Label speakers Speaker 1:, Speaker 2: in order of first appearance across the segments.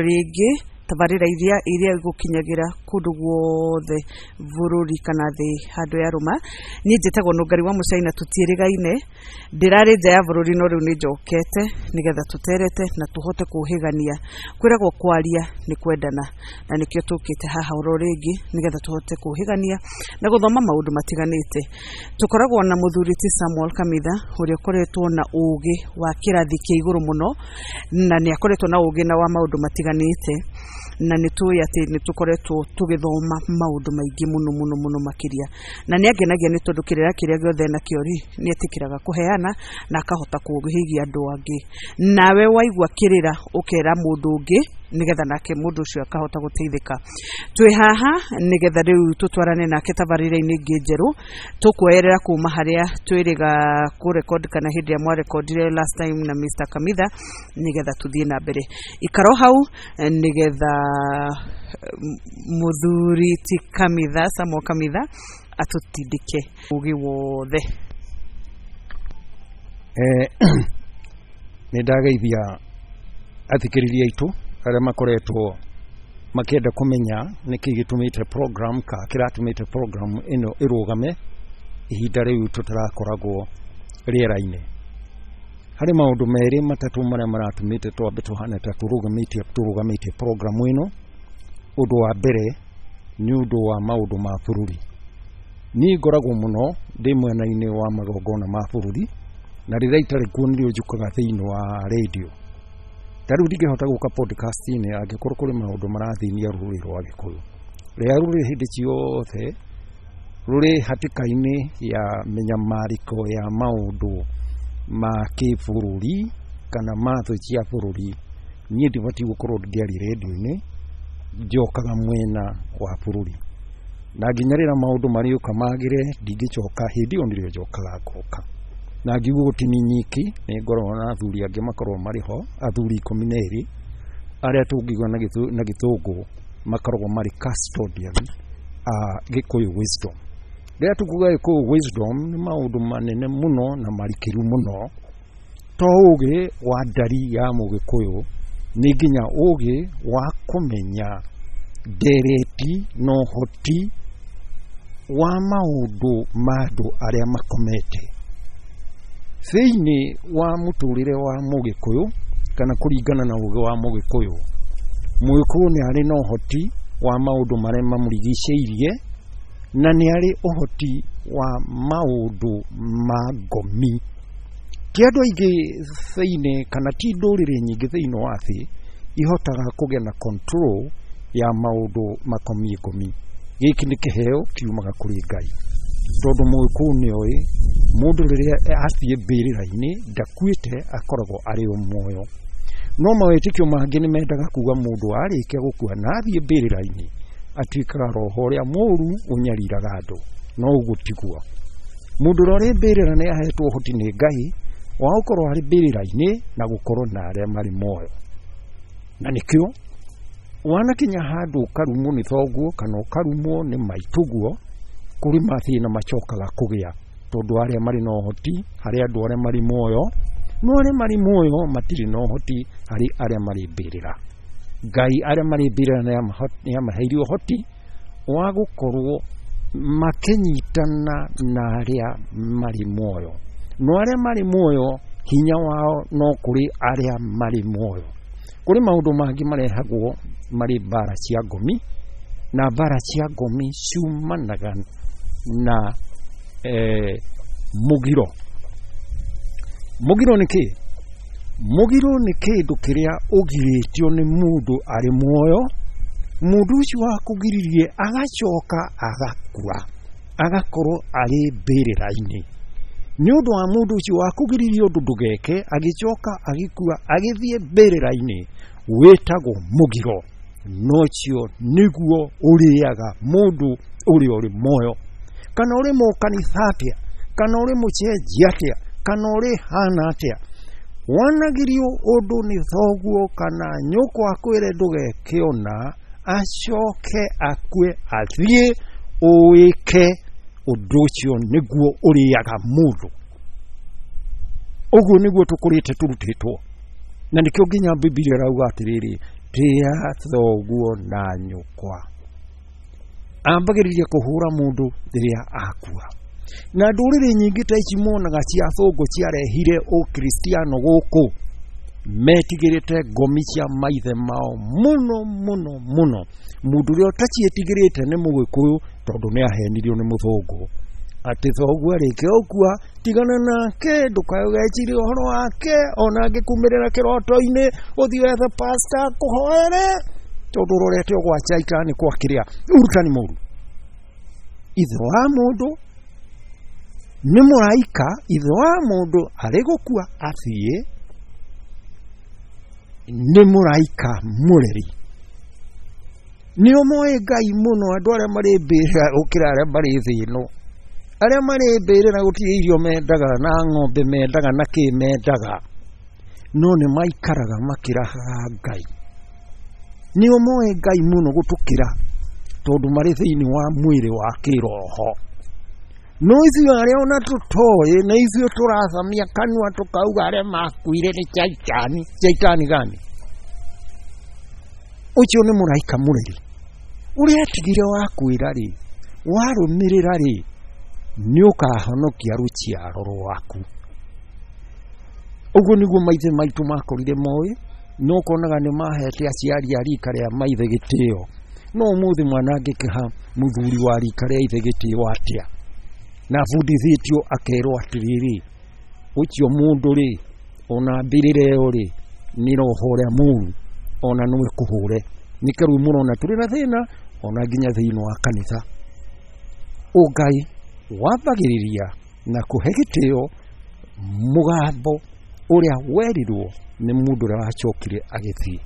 Speaker 1: Rĩngĩ tabarĩra iria igũkinyagĩra kũndũ guothe bũrũri kana thĩ handũ yarũma. Niĩ njĩtagwo Nũngari wa Mũcaina, tũtiĩrĩgaine, ndĩrarĩ nja ya bũrũri no rĩu nĩ njokete nĩgetha tũterete na tũhote kũhĩgania. Kwĩragwo kwaria nĩ kwendana, na nĩkĩo tũkĩte haha oro rĩngĩ nĩgetha tũhote kũhĩgania na gũthoma maũndũ matiganĩte. Tũkoragwo na mũthuri ti Samuel Kamitha ũrĩa ũkoretwo na ũgĩ wa kĩrathi kĩa igũrũ mũno, na nĩ akoretwo na ũgĩ na wa maũndũ matiganĩte, na nĩ tũĩ atĩ nĩ tũkoretwo tũgĩthoma maũndũ maingĩ mũno mũno mũno makĩria, na nĩ angenagia nĩ tondũ kĩrĩra kĩrĩa gĩothe enakĩo rĩ, nĩ etĩkĩraga kũheana na akahota kũhĩgia andũ angĩ. Nawe waigua kĩrĩra ũkera mũndũ ũngĩ nĩgetha nake mũndũ ũcio akahota gũteithĩka. Twĩ haha nĩgetha rĩu tũtwarane nake tabarĩra-inĩ ĩngĩ njerũ, tũkuoyerera kuma harĩa twĩrĩga kũrekodi kana hĩndĩ ĩrĩa mwarekondire last time na Mr. Kamitha, nĩgetha tũthiĩ na mbere. Ikaro hau nĩgetha mũthuri ti Kamitha, Samuel Kamitha, atũtindĩke ũgĩ wothe.
Speaker 2: Nĩ ndageithia athikĩrĩria aitũ arĩa makoretwo makĩenda kũmenya nĩkĩ gĩtũmĩte program ka kĩratũmĩte program ĩno ĩrũgame ihinda rĩu tũtarakoragwo rĩera-inĩ. Harĩ maũndũ merĩ matatũ marĩa maratũmĩte twambe tũhane ta tũrũgamĩtie program ĩno. Ũndũ wa mbere nĩ ũndũ wa maũndũ ma bũrũri. Niĩ ngoragwo mũno ndĩ mwena-inĩ wa magongona ma bũrũri, na rĩrĩa itarĩ kuo nĩrĩo njũkaga thĩinĩ wa radio. Ta rĩu ndingĩhota gũka podcast-inĩ angĩkorwo kũrĩ maũndũ marathĩnia rũrĩrĩ rwa Gĩkũyũ. Rĩrĩa rũrĩ hĩndĩ ciothe rũrĩ hatĩka-inĩ ya mĩnyamarĩko ya maũndũ ma kĩbũrũri kana matho cia bũrũri, niĩ ndibatiĩ gũkorwo ngĩaria radio-inĩ, njokaga mwena wa bũrũri. Na nginya rĩrĩa maũndũ marĩũka magĩre, ndingĩcoka, hĩndĩ ĩyo nĩrĩo njokaga ngoka. Na ngiuga ti niĩ nyiki, nĩ ngoragwo na athuri angĩ makoragwo marĩ ho, athuri 12 arĩa tũngiuga na gĩthũngũ makoragwo marĩ custodian a Gĩkũyũ wisdom. Rĩrĩa tũkuga Gĩkũyũ wisdom nĩ maũndũ manene mũno na marikĩru mũno, to ũgĩ wa ndari ya mũgĩkũyũ, nĩ nginya ũgĩ wa kũmenya ndereti na ũhoti wa maũndũ ma andũ arĩa makomete thĩinĩ wa mũtũrĩre wa mũgĩkũyũ, kana kũringana na ũgĩ wa mũgĩkũyũ. Mũgĩkũyũ nĩ arĩ na ũhoti wa maũndũ marĩa mamũrigicĩirie, na nĩ arĩ ũhoti wa maũndũ ma ngomi. Ti andũ aingĩ thĩinĩ kana ti ndũrĩrĩ nyingĩ thĩinĩ wa thĩ ihotaga kũgĩa na control ya maũndũ makoniĩ ngomi. Gĩkĩ nĩ kĩheo kiumaga kũrĩ Ngai, tondũ mũgĩkũyũ nĩ oĩ mũndũ rĩrĩa athiĩ mbĩrĩra-inĩ ndakuĩte, akoragwo arĩ o muoyo. No mawĩtĩkio mangĩ nĩ mendaga kuga mũndũ arĩkia gũkua na athiĩ mbĩrĩra-inĩ atuĩkaga roho ũrĩa mũũru ũnyariraga andũ, no ũguo tiguo. Mũndũ ũrĩa ũrĩ mbĩrĩra nĩ ahetwo ũhoti nĩ Ngai wa gũkorwo arĩ mbĩrĩra-inĩ na gũkorwo na arĩa marĩ muoyo. Na nĩkĩo wanakinya handũ ũkarumwo nĩ thoguo kana ũkarumwo nĩ maitũguo, kũrĩ mathĩna macokaga kũgĩa, tondũ arĩa marĩ na ũhoti harĩ andũ arĩa marĩ muoyo, no arĩa marĩ muoyo matirĩ na ũhoti harĩ arĩa marĩ mbĩrĩra. Ngai arĩa marĩ mbĩrĩra nĩ amaheire ũhoti wa gũkorwo makĩnyitana na arĩa marĩ muoyo, no arĩa marĩ muoyo hinya wao no kũrĩ arĩa marĩ muoyo. Kũrĩ maũndũ mangĩ marehagwo marĩ mbara cia ngomi, na mbara cia ngomi ciumanaga na mũgiro. Mũgiro nĩ kĩ? Mũgiro nĩ kĩndũ kĩrĩa ũgirĩtio nĩ mũndũ arĩ muoyo, mũndũ ũcio wakũgiririe agacoka agakua, agakorwo arĩ mbĩrĩra-inĩ. Nĩ ũndũ wa mũndũ ũcio wakũgiririe ũndũ ndũgeke, agĩcoka agĩkua, agĩthiĩ mbĩrĩra-inĩ, wĩtagwo mũgiro. No ũcio nĩguo ũrĩaga mũndũ ũrĩa ũrĩ muoyo. Kana ũrĩ mũkanitha atĩa, kana ũrĩ mũcenjia atĩa, kana ũrĩ hana atĩa, wanagirio ũndũ nĩ thoguo kana nyũkwa akwĩre ndũgeke ũna, acoke akue athiĩ ũwĩke ũndũ ũcio nĩguo ũrĩaga mũndũ. Ũguo nĩguo tũkũrĩte tũrutĩtwo, na nĩkĩo nginya Bibilia ĩrauga atĩrĩrĩ, Tĩa thoguo na nyũkwa. Ambagĩrĩria kũhũra mũndũ rĩrĩa akua. Na ndũrĩrĩ nyingĩ ta ici monaga cia athũngũ ciarehire ũkristiano gũkũ, metigĩrĩte ngomi cia maithe mao mũno mũno mũno. Mũndũ ũrĩa ũtaciĩtigĩrĩte nĩ mũgĩkũyũ, tondũ nĩ ahenirio nĩ mũthũngũ atĩ thoguo arĩkia gũkua tigana nake, ndũkae ũgeciria ũhoro wake, ona angĩkumĩrĩra kĩroto-inĩ ũthiĩ wethe pasta akũhoere, tondũ ũrorete ũgwa caitani kwa kĩrĩa ũrutani mũru. Ithe wa mũndũ nĩ mũraika, ithe wa mũndũ arĩ gũkua athiĩ nĩ mũraika mũreri. Nĩo moĩ Ngai mũno andũ arĩa marĩ mbĩrĩra gũkĩra arĩa marĩ thĩ ĩno. Arĩa marĩ mbĩrĩra gũtirĩ irio mendaga na ng'ombe mendaga na kĩ mendaga, no nĩ maikaraga makĩrahaga Ngai. Nĩo moĩ Ngai mũno gũtũkĩra, tondũ marĩ thĩinĩ wa mwĩrĩ wa kĩroho. No ithuĩ arĩa ona tũtoĩ, na ithuĩ tũrathamia kanua tũkauga arĩa makuire nĩ caitani. Caitani gani? Ũcio nĩ mũraika mũreri ũrĩa atigire wa kwĩra rĩ, warũmĩrĩra rĩ, nĩ ũkahonokia rũciaro rwaku. Ũguo nĩguo maithe maitũ makorire moĩ, no ũkonaga nĩ mahete aciari a rika rĩa maithe gĩtĩo. No ũmũthĩ mwana angĩkĩha mũthuri wa rika rĩa ithe gĩtĩo atĩa? Na abundithĩtio akerwo atĩrĩrĩ, ũcio mũndũ rĩ, ona mbĩrĩra ĩyo rĩ, nĩ roho ũrĩa mũru, ona no ĩkũhũre. Nĩkĩo rĩu mũrona tũrĩ na thĩna ona nginya thĩinĩ wa kanitha. Ũngai wambagĩrĩria na kũhe gĩtĩo mũgambo ũrĩa werirwo nĩ mũndũ ũrĩa wacokire agĩthiĩ.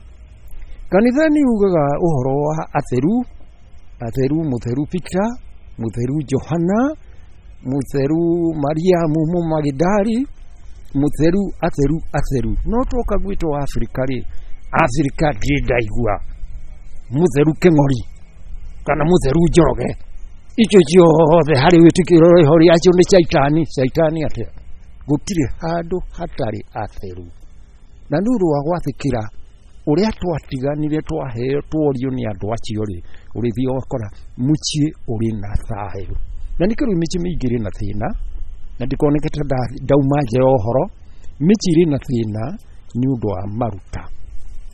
Speaker 2: Kanitha nĩ ugaga ũhoro wa atheru, atheru mũtheru Peter, mũtheru Johana, mũtheru Mariamu Mũmagidali, mũtheru, atheru, atheru. No twoka gwitũ Afrika rĩ, Afrika ndirĩ ndaigua mũtheru Kĩng'ori kana mũtheru Njoroge. Icio ciothe harĩ wĩtĩkio rĩho rĩacio nĩ caitani. Caitani atĩa? Gũtirĩ handũ hatarĩ atheru. Na nĩ ũndũ wa gwathĩkĩra ũrĩa twatiganire twaheo tworio nĩ andũ acio rĩ, ũrĩthiĩ ũgakora mũciĩ ũrĩ na thayũ. Na nĩkĩo rĩu mĩciĩ mĩingĩ ĩrĩ na thĩna, na ndikoneke ta ndauma nja ya ũhoro. Mĩciĩ ĩrĩ na thĩna nĩ ũndũ wa maruta,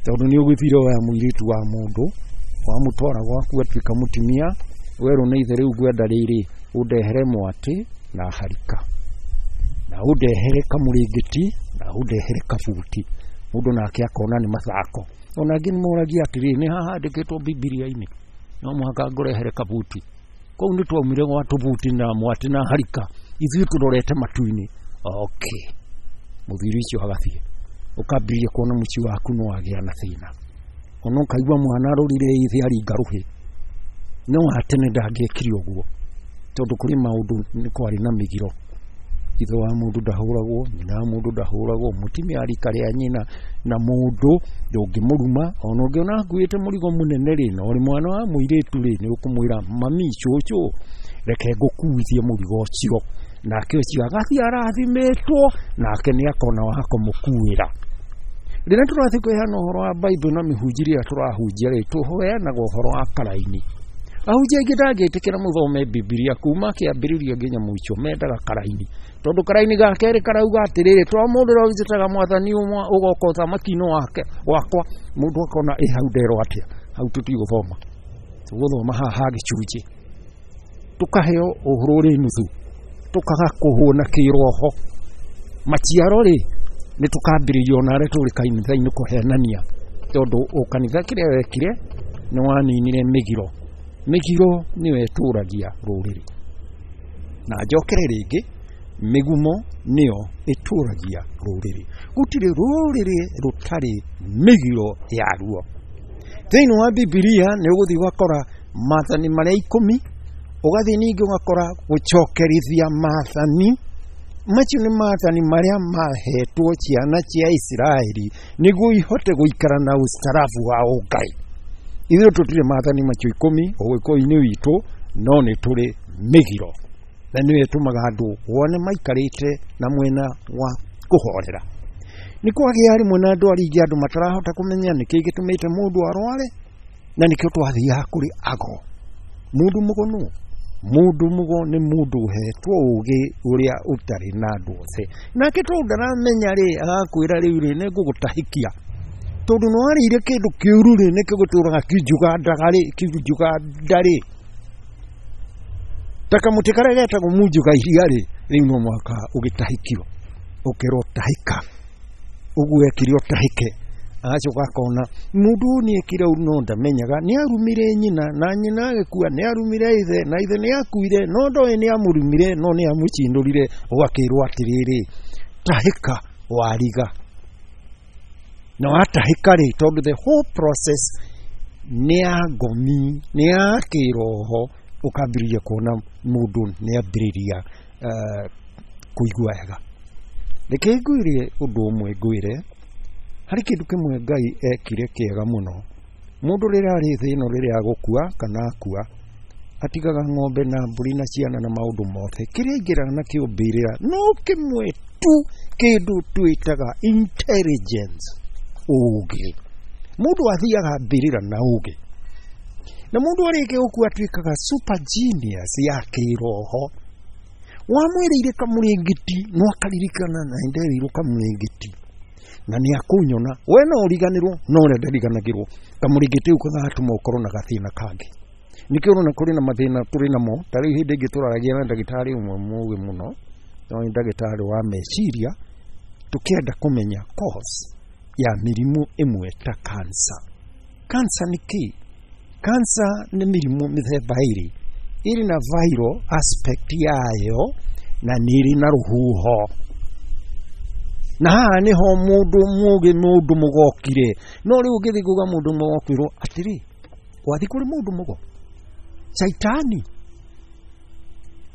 Speaker 2: tondũ nĩ ũgĩthire woya mũirĩtu wa mũndũ wamũtwara gwaku atuĩka mũtumia, werwo nĩ ithe rĩu ngwenda rĩrĩ ũndehere mwatĩ na harika, na ũndehere kamũrĩngĩti, na ũndehere kabuti. Mũndũ nake akona nĩ mathako. Ona angĩ nĩ moragia atĩrĩrĩ, nĩ hahandĩkĩtwo Bibilia-inĩ no mũhaka ngũrehere kabuti? Kũu nĩ twaumire gwa tũbuti na mwatĩ na harika, ithuĩ tũrorete matu-inĩ. Okay, mũthuri ũcio agathiĩ, ũkambĩrĩria kuona mũciĩ waku no wagĩa na thĩna. Ona ũkaigua mwana arũrire ithe aringa rũhĩ. No wa tene ndangĩekire ũguo, tondũ kũrĩ maũndũ nĩ kwarĩ na mĩgiro. Ithe wa mũndũ ndahũragwo, nyina wa mũndũ ndahũragwo, mũtumia wa rika rĩa nyina na mũndũ ndũngĩmũruma. Ona ũngĩona akuĩte mũrigo mũnene rĩ, na ũrĩ mwana wa mũirĩtu rĩ, nĩ ũkũmwĩra mami, cũcũ, reke ngũkuithie mũrigo ũcio. Nake ũcio agathiĩ arathimĩtwo, nake nĩ akona wa kũmũkuĩra. Rĩrĩa tũrathiĩ kũheana ũhoro wa Bible na mĩhunjĩrie ĩrĩa tũrahunjia rĩ, tũheanaga ũhoro wa karaini. Ahunjia aingĩ ndangĩtĩkĩra mũthome Bibilia kuma kĩambĩrĩria nginya mũico, mendaga karaini, tondũ karaini ga kerĩ karauga atĩrĩrĩ, to mũndũ ũrĩa wĩtaga mwathani ũgoka ũthamaki-inĩ wake wakwa. Mũndũ akona ĩ hau nderwo atĩa, hau tũtigũthoma, tũgũthoma haha ha gĩcunjĩ, tũkaheo ũhoro ũrĩ nuthu, tũkaga kũhũna kĩroho. Maciaro rĩ, nĩ tũkambĩrĩria ona arĩa tũrĩ kanitha-inĩ kũhenania, tondũ o kanitha kĩrĩa wekire nĩ waninire mĩgiro. Mĩgiro nĩyo ĩtũragia rũrĩrĩ. Na njokere rĩngĩ, mĩgumo nĩyo ĩtũragia rũrĩrĩ. Gũtirĩ rũrĩrĩ rũtarĩ mĩgiro yaruo. Thĩinĩ wa Bibilia nĩ ũgũthiĩ ũgakora maathani marĩa 10, ũgathiĩ ningĩ ũgakora gũcokerithia maathani. Macio nĩ maathani marĩa mahetwo ciana cia Isiraeli nĩguo ihote gũikara na ustaarabu wa ũngai. Ithuĩ tũtirĩ maathani macio 10 ũgĩkũyũ-inĩ witũ, no nĩ tũrĩ mĩgiro, na nĩyo ĩtũmaga andũ wone maikarĩte na mwena wa kũhorera. Nĩ kwagĩa rĩmwe na ndwari ingĩ andũ matarahota kũmenya nĩkĩ gĩtũmĩte mũndũ arware, na nĩkĩo twathiaga kũrĩ ago. Mũndũ mũgo nũ? Mũndũ mũgo nĩ mũndũ ũhetwo ũgĩ ũrĩa ũtarĩ na andũ othe. Nake tondũ ndaramenya rĩ, agakwĩra rĩu rĩ, nĩ ngũgũtahĩkia. Tondũ nĩ warĩire kĩndũ kĩũru rĩ, nĩkĩo gĩtũraga kĩnjugandaga rĩ, kĩnjuganda rĩ. Ta kamũtĩ karĩa getagwo munjuga iria rĩ, rĩu no mũhaka ũgĩtahĩkio. Ũkerwo tahĩka. Ũguo ekire ũtahĩke. Agacoka akona mũndũ ũyũ nĩ ekire ũru no ndamenyaga, nĩ arumire nyina na nyina agĩkua, nĩ arumire ithe na ithe nĩ akuire, no ndoĩ nĩ amũrumire no nĩ amũcindũrire. Ũgakĩrwo atĩrĩrĩ, tahĩka wariga. Na watahĩka rĩ, tondũ the whole process nĩ ya ngomi, nĩ ya kĩroho, ũkambĩrĩria kuona mũndũ nĩ ambĩrĩria kũigua wega. Reke ngwĩre ũndũ ũmwe ngwĩre, harĩ kĩndũ kĩmwe Ngai ekire kĩega mũno. Mũndũ rĩrĩa arĩ thĩ ĩno rĩrĩa agũkua kana akua, atigaga ng'ombe na mbũri na ciana na maũndũ mothe. Kĩrĩa aingĩraga nakĩo mbĩrĩra no kĩmwe tu, kĩndũ twĩtaga intelligence, ũgĩ. Mũndũ athiaga mbĩrĩra na ũgĩ. Na mũndũ arĩkia gũkua atuĩkaga super genius ya kĩroho. Wamwĩrĩire kamũrĩngĩti no akaririkana na nderĩirwo kamũrĩngĩti na nĩ akũnyona. We no ũriganĩrwo no ũrĩa ndariganagĩrwo. Kamũrĩngĩti kau gagatũma ũkorwo na gathĩna kangĩ. Nĩkĩo ũrona kũrĩ na mathĩna tũrĩ namo. Ta rĩu hĩndĩ ĩngĩ tũraragia na ndagĩtarĩ ũmwe mũũgĩ mũno, no nĩ ndagĩtarĩ wa meciria, tũkĩenda kũmenya cause ya mĩrimũ ĩmwe ta cancer. Cancer nĩ kĩ? Cancer nĩ mĩrimũ mĩthemba ĩrĩ. Ĩrĩ na viral aspect yayo na nĩ ĩrĩ na rũhuho. Na haha nĩho mũndũ mũũgĩ, mũndũ mũgokire. No rĩu ũngĩthiĩ kuga mũndũ mũgokwĩrwo atĩrĩ, wathiĩ kũrĩ mũndũ mũgo? Shaitani.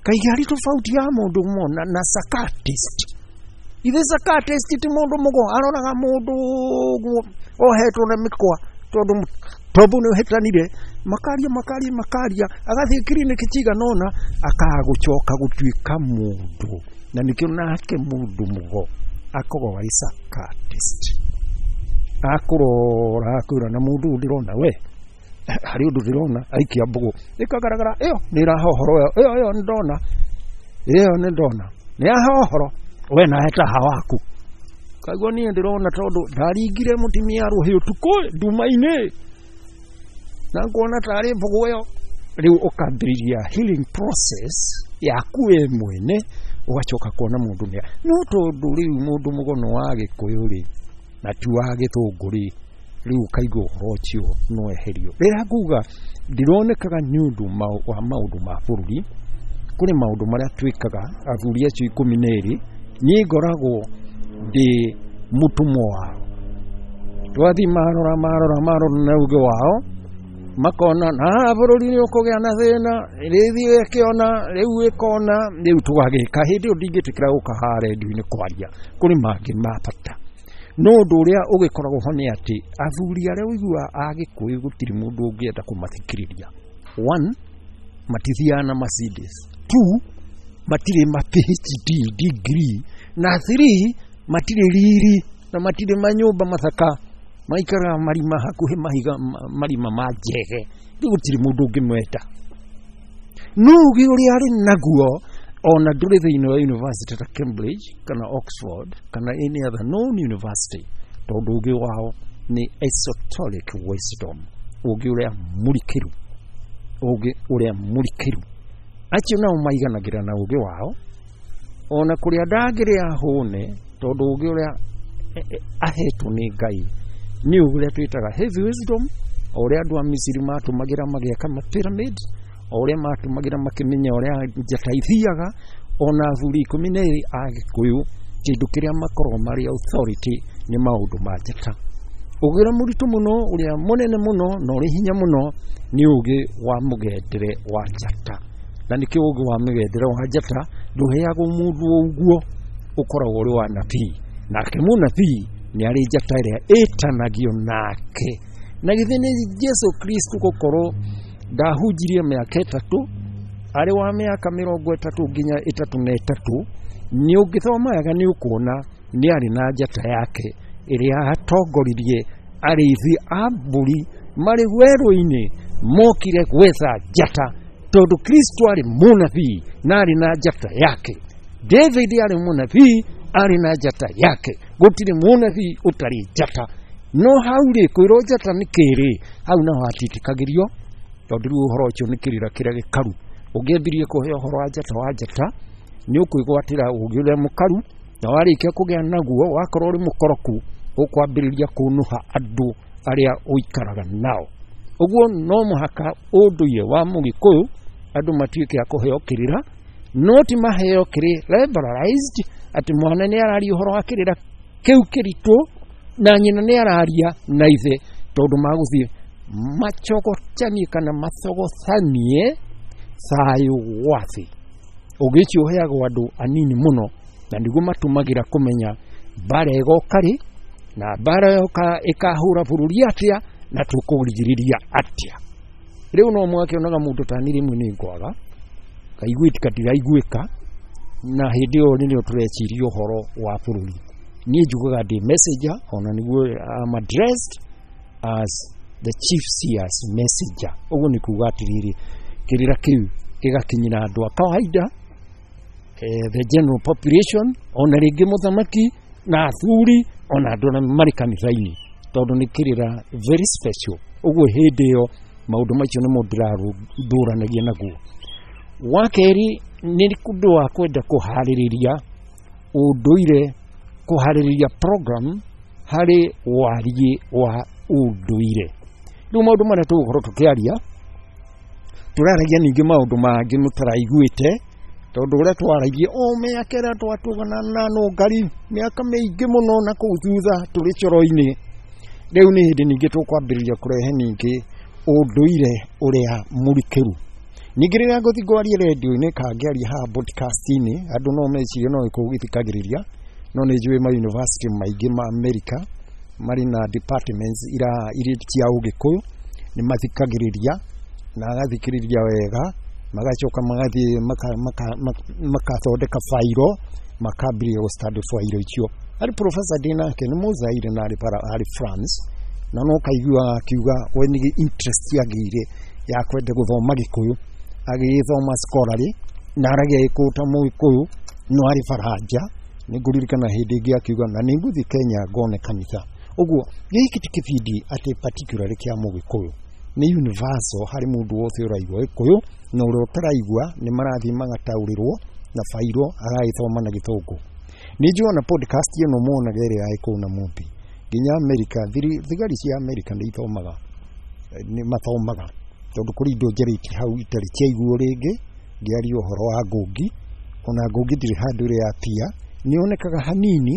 Speaker 2: Kaingĩ harĩ tofauti ya mũndũ mũgo na psychiatrist. Ithe psychiatrist ti mũndũ mũgo, aroraga mũndũ ũguo ohetwo na mĩkwa tondũ tombo nĩ ũhĩtanire, makaria makaria makaria, agathiĩ kiriniki cigana ũna, akaga gũcoka gũtuĩka mũndũ. Na nĩkĩo nake mũndũ mũgo akoragwo arĩ psychiatrist. Akũrora akwĩra na mũndũ ũyũ ndĩrona we, harĩ ũndũ ndĩrona, aikia mbũgũ ĩkagaragara, ĩyo nĩ ĩraha ũhoro, ĩyo ĩyo nĩ ndona, ĩyo nĩ ndona, nĩ yaha ũhoro, we nawe taha waku. Kaigua niĩ ndĩrona tondũ ndaringire mũtumia rũhĩ ũtukũ nduma-inĩ na nguona tarĩ mbũgũ ĩyo. Rĩu ũkambĩrĩria healing process yaku we mwene, ũgacoka kuona mũndũ nĩ no tondũ rĩu mũndũ mũgono wa Gĩkũyũ rĩ na ti wa Gĩthũngũ rĩ, rĩu ũkaigua ũhoro ũcio no eherio. Rĩrĩa nguga ndironekaga nĩ ũndũ wa maũndũ ma bũrũri, kũrĩ maũndũ marĩa twĩkaga athuri acio 12, niĩ ngoragwo ndĩ mũtũmwo wao. Twathiĩ marora marora marora na ũgĩ wao, makona na haha bũrũri nĩ ũkũgĩa na thĩna, rĩthiĩ ĩkĩona, rĩu ĩkona, rĩu tũgagĩka. Hĩndĩ ĩyo ndingĩtĩkĩra gũka haha rendio-inĩ kwaria, kũrĩ mangĩ ma bata. No ũndũ ũrĩa ũgĩkoragwo ho nĩ atĩ athuri arĩa ũiguaga a Gĩkũyũ gũtirĩ mũndũ ũngĩenda kũmathikĩrĩria. One, matithiaga na Mercedes. Two, matirĩ ma PhD degree. Na three, matirĩ riri na matirĩ manyũmba mathaka, maikaraga marima hakuhĩ mahiga marima ma njege. Rĩu gũtirĩ mũndũ ũngĩmwenda. No ũgĩ ũrĩa arĩ naguo ona ndũrĩ thĩinĩ wa university ta Cambridge kana Oxford kana any other known university, tondũ ũgĩ wao nĩ esoteric wisdom, ũgĩ ũrĩa mũrikĩru, ũgĩ ũrĩa mũrikĩru. Acio nao maiganagĩra na ũgĩ wao, ona kũrĩa ndangĩrĩa hũne, tondũ ũgĩ ũrĩa ahetwo nĩ Ngai nĩ ũgĩ ũrĩa twĩtaga heavy wisdom, o ũrĩa andũ a Misiri matũmagĩra magĩaka ma pyramid, o ũrĩa matũmagĩra makĩmenya ũrĩa njata ithiaga. Ona athuri 12 a Gĩkũyũ kĩndũ kĩrĩa makoragwo marĩ authority nĩ maũndũ ma njata. Ũgĩ ũrĩa mũritũ mũno, ũrĩa mũnene mũno na ũrĩ hinya mũno nĩ ũgĩ wa mũgendere wa njata. Na nĩkĩo ũgĩ wa mũgendere wa njata ndũheagwo mũndũ o ũguo, ũkoragwo ũrĩ wa nabii. Nake mũnabii nĩ arĩ njata ĩrĩa ĩtanagio nake. Na githĩ nĩ Jesu Kristo gũkorwo ndahunjirie mĩaka 3, arĩ wa mĩaka 33 nginya 33, nĩ ũngĩthoma wega nĩ ũkuona Nĩ arĩ na njata yake ĩrĩa atongoririe arĩithi a mbũri marĩ werũ-inĩ mokire gwetha njata, tondũ Kristo arĩ mũnabii na arĩ na njata yake. David arĩ mũnabii arĩ na njata yake. Gũtirĩ mũnabii ũtarĩ njata. No hau rĩ, kwĩrwo njata nĩ kĩrĩ, hau naho hatiĩtĩkagĩrio, tondũ rĩu ũhoro ũcio nĩ kĩrĩra kĩrĩa gĩkaru. Ũngĩambirie kũhe ũhoro wa njata wa njata, nĩ ũkwĩgwatĩra ũgĩ ũrĩa mũkaru, na warĩkia kũgĩa naguo wakorwo ũrĩ mũkoroku, ũkwambĩrĩria kũnũha andũ arĩa ũikaraga nao. Ũguo no mũhaka ũndũire wa mũgĩkũyũ andũ matuĩke a kũheo kĩrĩra, no ti maheo kĩrĩ liberalized, atĩ mwana nĩ araria ũhoro wa kĩrĩra kĩu kĩritũ na nyina nĩ araria na ithe, tondũ magũthiĩ macogotanie kana mathogocanie thayũ wa thĩ. Ũgĩ ũcio ũheagwo andũ anini mũno, na nĩguo matũmagĩra kũmenya mbara ĩgoka rĩ, na mbara yoka ĩkahũra bũrũri atĩa, na tũkũrigĩrĩria atĩa. Rĩu no mwakĩonaga mũndũ ta niĩ rĩmwe nĩ ngwaga kaiguĩka ndiraiguĩka, na hĩndĩ ĩyo nĩrĩo tũreciria ũhoro wa bũrũri. Niĩ njugaga ndĩ messenger, ona nĩguo I'm addressed as the chief seer's messenger. Ũguo nĩ kuga atĩrĩrĩ, kĩrĩra kĩu gĩgakinyĩra andũ a kawaida, the general population, ona rĩngĩ mũthamaki na athuri, ona andũ arĩa marĩ kanitha-inĩ, tondũ nĩ kĩrĩra very special. Ũguo hĩndĩ ĩyo maũndũ macio nĩmo ndĩrathũranagia naguo. Wa kerĩ nĩ ũndũ wa kwenda kũharĩrĩria ũndũire, kũharĩrĩria program harĩ wariĩ wa ũndũire. Rĩu maũndũ marĩa tũgũkorwo tũkĩaria, tũraragia ningĩ maũndũ mangĩ mũtaraiguĩte, tondũ ũrĩa twaragia o mĩaka ĩrĩa twatũgana na nũngari mĩaka mĩingĩ mũno na kũu thutha tũrĩ coro-inĩ. Rĩu nĩ hĩndĩ ningĩ tũkwambĩrĩria kũrehe ningĩ ũndũire ũrĩa mũrikĩru. Ningĩ rĩrĩa ngũthiĩ ngwarie redio-inĩ kana ngĩaria haha podcast-inĩ, andũ no mecirie no gĩkũyũ gĩthikagĩrĩria, no nĩ njũĩ ma university maingĩ ma America marĩ na departments irĩ cia ũgĩkũyũ, nĩ mathikagĩrĩria na agathikĩrĩria wega, magacoka magathiĩ makathondeka fairo, makambĩrĩria gũ study fairo icio. Harĩ professor ndĩ nake nĩ Mũzaire na arĩ France, na no kaiguaga akiuga we nĩ interest agĩire ya kwenda gũthoma Gĩkũyũ, agĩgĩthoma scholarly na aragia Gĩkũyũ ta Mũgĩkũyũ, no arĩ Faranja. Nĩ ngũririkana hĩndĩ ĩngĩ akiuga na nĩ ngũthiĩ Kenya ngone kanitha. Ũguo gĩkĩ ti kĩbindi atĩ particularly kĩa Mũgĩkũyũ, nĩ universal harĩ mũndũ wothe ũraigua Gĩkũyũ na ũrĩa ũtaraigua nĩ marathiĩ magataũrĩrwo na fairo agagĩthoma na Gĩthũngũ. Nĩ njũĩ ona podcast ĩno muonaga ĩrĩa ya Gĩkũyũ na Mũmbi, nginya America, thigari cia America nĩ ithomaga, nĩ mathomaga, tondũ kũrĩ indo njarĩtie hau itarĩ ciaiguo rĩngĩ. Ngĩaria ũhoro wa ngũngi, ona ngũngi ndĩrĩ handũ ĩrĩ yapia, nĩ yonekaga hanini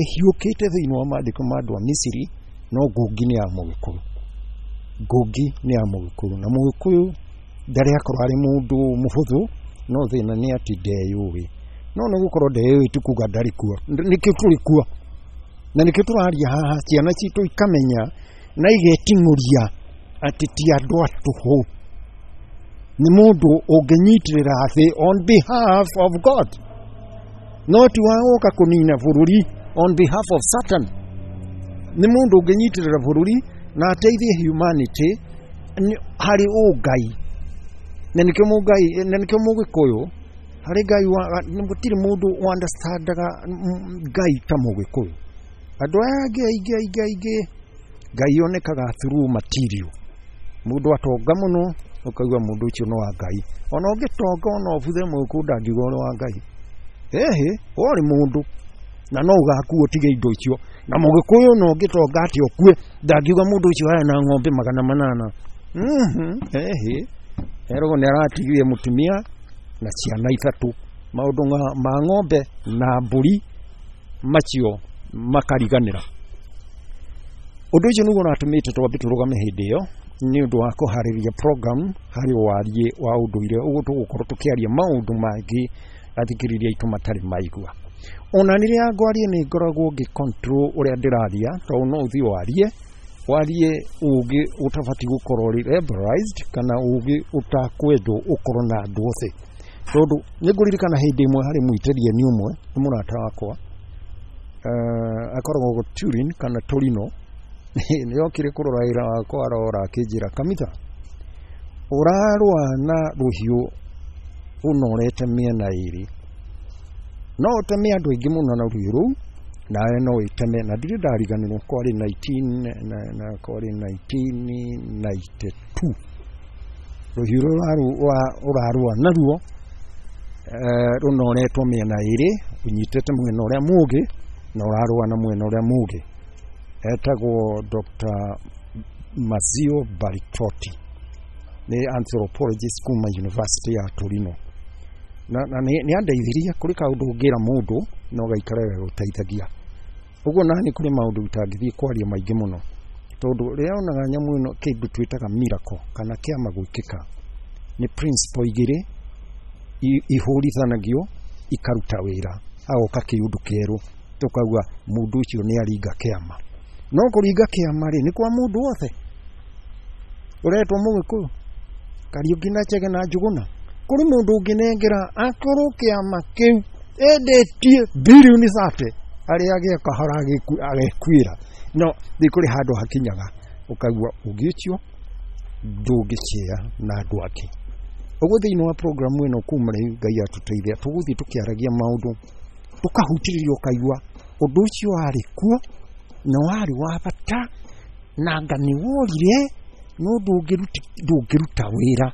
Speaker 2: ĩhiũkĩte thĩinĩ wa maandĩko ma andũ a Misiri, no ngũngi nĩ ya Mũgĩkũyũ. Ngũngi nĩ ya Mũgĩkũyũ, na Mũgĩkũyũ ndarĩ akorwo arĩ mũndũ mũhũthũ, no thĩna nĩ atĩ ndeyũĩ. No nĩ gũkorwo ndeyũĩ ti kuga ndarĩ kuo, nĩkĩo tũrĩ kuo, na nĩkĩo tũraria haha, ciana citũ ikamenya na igeting'ũria atĩ ti andũ a tũhũ, nĩ mũndũ ũngĩnyitĩrĩra thĩ on behalf of God, no ti wa gũka kũnina bũrũri on behalf of Satan. Nĩ mũndũ ũngĩnyitĩrĩra bũrũri na ateithie humanity harĩ ũngai, na nĩkĩo mũngai, na nĩkĩo Mũgĩkũyũ harĩ Ngai wa, gũtirĩ mũndũ understandaga Ngai ta Mũgĩkũyũ. Andũ aya angĩ aingĩ aingĩ aingĩ Ngai onekaga through material. Mũndũ atonga mũno ũkaigua mũndũ ũcio nĩ wa Ngai, ona ũngĩtonga ona ũbuthe Mũgĩkũyũ ndangiuga ũrĩ wa Ngai. Ĩhĩ, we ũrĩ mũndũ na no ũgakua ũtige indo icio. Na Mũgĩkũyũ no ũngĩtonga atĩ ũkue ndangiuga mũndũ ũcio aya na ng'ombe 800. Ĩhĩ, eragwo nĩ aratigire mũtumia na ciana 3, maũndũ ma ng'ombe na mbũri macio makariganĩra. Ũndũ ũcio nĩguo ũratũmĩte twambe tũrũgame hĩndĩ ĩyo nĩ ũndũ wa kũharĩrĩria program harĩ wariĩ wa ũndũire. Ũguo tũgũkorwo tũkĩaria maũndũ mangĩ athikĩrĩria aitũ matarĩ maigua. Ona rĩrĩa ngwaria nĩ ngoragwo ngĩ control ũrĩa ndĩraria, tondũ no ũthiĩ warie warie ũgĩ ũtabatiĩ gũkorwo ũrĩ liberalized kana ũgĩ ũtakwendwo ũkorwo na andũ othe. Tondũ nĩ ngũririkana hĩndĩ ĩmwe harĩ mwitĩrieni ũmwe, nĩ mũrata wakwa, Akoragwo Turin kana Torino. Nĩ okire kũrora wĩra wakwa, arora akĩnjĩra, "Kamitha, ũrarũa na rũhiũ ũnorete mĩena ĩrĩ, no ũteme andũ aingĩ mũno na rũhiũ rũu, nawe no wĩteme." Na ndirĩ ndariganĩrwo, kwarĩ 19 na, na kwarĩ 1992. Rũhiũ rũrũ ũrarũa naruo rũnoretwo mĩena ĩrĩ, ũnyitĩte mwena ũrĩa mũũgĩ na ũrarũa na mwena ũrĩa mũũgĩ. Etagwo Dr. Mazio Baritotti, nĩ anthropologist kuma University ya Torino, na nĩ andeithirie kũrĩ kaũndũ ũngĩra mũndũ no gaikare gagũteithagia ũguo. Nani kũrĩ maũndũ itangĩthiĩ kwaria maingĩ mũno, tondũ rĩrĩa onaga nyamũ ĩno, kĩndũ twĩtaga miracle kana kĩama gwĩkĩka, nĩ principle igĩrĩ ihũrithanagio ikaruta wĩra, agoka kĩũndũ kĩerũ, tũkauga mũndũ ũcio nĩ aringa kĩama. No kũringa kĩama rĩ, nĩ kwa mũndũ wothe ũretwo Mũgĩkũyũ, Kariũki na Chege na Njũgũna. Kũrĩ mũndũ ũngĩnengera akorwo kĩama kĩu endetie birioni 30, arĩa agĩa kahora agekuĩra. No nĩ kũrĩ handũ hakinyaga ũkaigua ũngĩ ũcio ndũngĩcea na andũ angĩ. Ũguo thĩinĩ wa programu ĩno, kuma rĩu Ngai atũteithia, tũgũthiĩ tũkĩaragia maũndũ, tũkahutĩrĩria, ũkaigua ũndũ ũcio warĩ kuo na warĩ wa bata, na anga nĩ worire, no ndũngĩruta wĩra,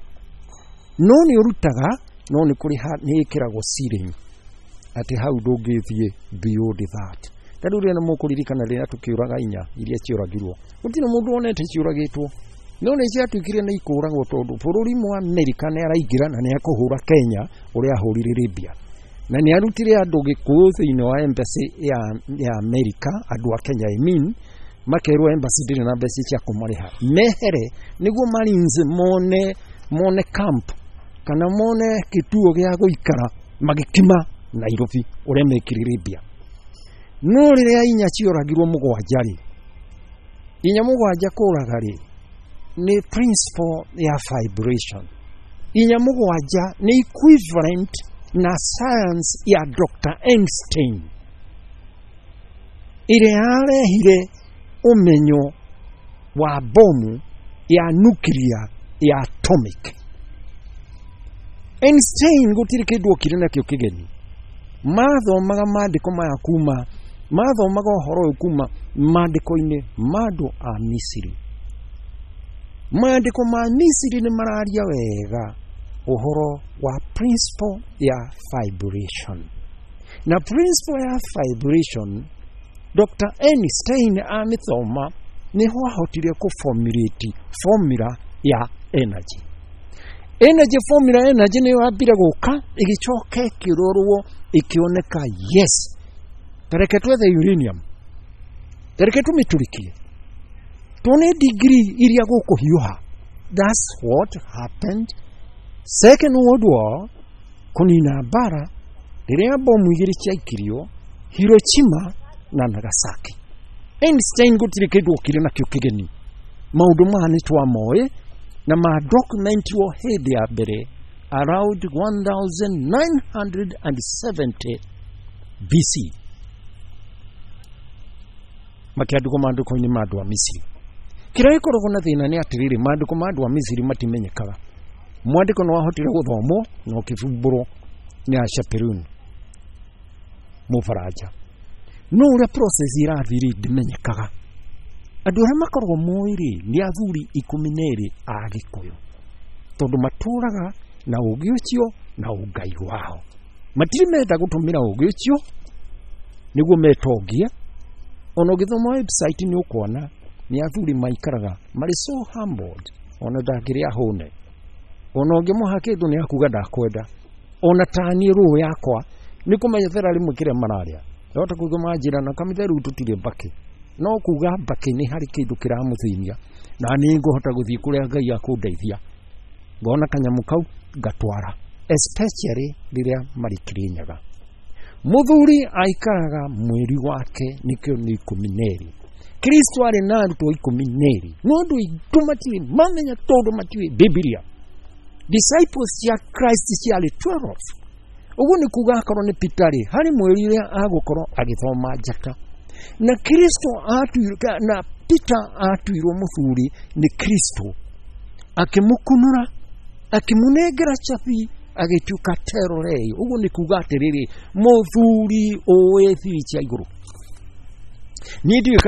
Speaker 2: no nĩ ũrutaga, no nĩ kũrĩ nĩ ĩkĩragwo ceiling atĩ hau ndũngĩthiĩ beyond that. Ta rĩu rĩrĩa mũkũririkana, rĩrĩa tũkĩũraga inya iria ciũragirwo, gũtirĩ mũndũ wonete ciũragĩtwo, no nĩ ciatuĩkire nĩ ikũragwo, tondũ bũrũri mwa Amerika nĩ araingĩra na nĩ akũhũra Kenya ũrĩa ahũrire Libya, na nĩ arutire andũ Gĩkũyũ thĩinĩ wa embassy ya Amerika, andũ a Kenya, I mean, makerwo embassy ndĩrĩ na mbeca cia kũmarĩha, mehere nĩguo Marines mone camp kana mone kĩtuo gĩa gũikara magĩkima Nairobi ũrĩa mekire Libya. No rĩrĩa inya cioragirwo mũgwanja rĩ, inya mũgwanja kũraga rĩ, nĩ principle ya vibration. Inya mũgwanja nĩ equivalent na science ya Dr. Einstein, ĩrĩa yarehire ũmenyo wa bomu ya nuclear, ya atomic. Einstein gũtirĩ kĩndũ okire nakĩo kĩgeni. Mathomaga maandĩko maya kuma, mathomaga ũhoro ũyũ kuma maandĩko-inĩ ma andũ a Misiri. Maandĩko ma Misiri nĩ mararia wega ũhoro wa principle ya vibration, na principle ya vibration Dr. Einstein amĩthoma nĩho ahotire kũformulate formula ya energy. Energy formula, energy nĩyo yambire gũka, ĩgĩcoka ĩkĩrorwo, ĩkĩoneka, yes, tareke twethe uranium, tareke tũmĩtũrĩkie tuone degree iria gũkũhiũha. That's what happened Second World War, kũnina mbara, rĩrĩa bomu igĩrĩ ciaikirio Hiroshima na Nagasaki. Einstein gũtirĩ kĩndũ okire nakĩo kĩgeni. Maũndũ maya nĩ twamoĩ na ma documentirwo hĩndĩ ya mbere around 1970 BC, makĩandĩkwo maandĩko-inĩ ma andũ a Misiri. Kĩrĩa gĩkoragwo na thĩna nĩ atĩrĩrĩ, maandĩko ma andũ a Misiri matimenyekaga. Mwandĩko nĩ wahotire gũthomwo na ũkĩbumbũrwo nĩ a Chaperone Mũbaranja, no ũrĩa process ĩrathiĩ rĩ, ndĩmenyekaga. Andũ arĩa makoragwo moĩ rĩ, nĩ athuri 12 a Gĩkũyũ, tondũ matũraga na ũgĩ ũcio na ũngai wao. Matirĩ menda gũtũmĩra ũgĩ ũcio nĩguo metongie. Ona ũgĩthoma website nĩ ũkuona nĩ athuri maikaraga marĩ so humbled, ona ndangĩrĩa hũne, ona ũngĩmũha kĩndũ nĩ akuga ndakwenda. Ona taniĩ rũũ yakwa nĩ kũmenyethera rĩmwe kĩrĩa mararĩa, ndahota kuga manjĩra na kamitha rĩu tũtirĩ mbakĩ, no kuga mbakĩ nĩ harĩ kĩndũ kĩramũthĩnia, na nĩ ngũhota gũthiĩ kũrĩa Ngai akũndeithia, ngona kanyamũ kau ngatwara, especially rĩrĩa marĩ Kĩrĩnyaga. Mũthuri aikaraga mwĩri wake, nĩkĩo nĩ 12. Kristo arĩ na arutwo 12, no andũ aitũ matirĩ mamenya, tondũ matiũĩ Bibilia. Disciples cia Christ ciarĩ 12. Ũguo nĩ kuga akorwo nĩ Peter rĩ, harĩ mweri ũrĩa agũkorwo agĩthoma njata. Na Kristo atuirwo, na Peter atuirwo mũthuri nĩ Kristo, akĩmũkunũra, akĩmũnengera cabi, agĩtuĩka terorei. Ũguo nĩ kuga atĩrĩrĩ, mũthuri ũĩ thiri cia igũrũ. Niĩ ndiũĩ